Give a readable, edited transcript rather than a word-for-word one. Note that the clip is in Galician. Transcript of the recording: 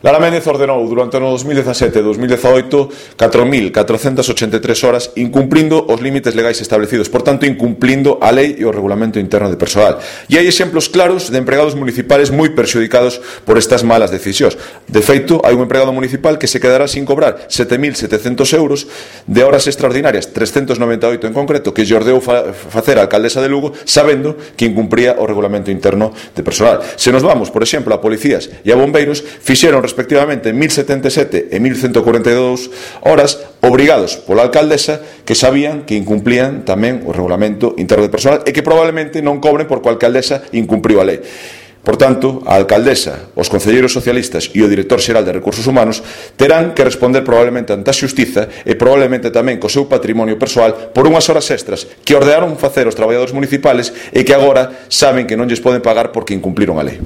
Lara Méndez ordenou durante o ano 2017 e 2018 4.483 horas incumplindo os límites legais establecidos, por tanto incumplindo a lei e o regulamento interno de persoal. E hai exemplos claros de empregados municipales moi perxudicados por estas malas decisións. De feito, hai un empregado municipal que se quedará sin cobrar 7.700 euros de horas extraordinarias, 398 en concreto, que lle ordeou facer a alcaldesa de Lugo sabendo que incumpría o regulamento interno de persoal. Se nos vamos, por exemplo, a policías e a bombeiros, fixeron respectivamente 1.077 e 1.142 horas obrigados pola alcaldesa que sabían que incumplían tamén o regulamento interno de persoal e que probablemente non cobren porque a alcaldesa incumpriu a lei. Por tanto, a alcaldesa, os concelleiros socialistas e o director xeral de Recursos Humanos terán que responder probablemente ante a xustiza e probablemente tamén co seu patrimonio persoal por unhas horas extras que ordenaron facer os traballadores municipales e que agora saben que non lles poden pagar porque incumpliron a lei.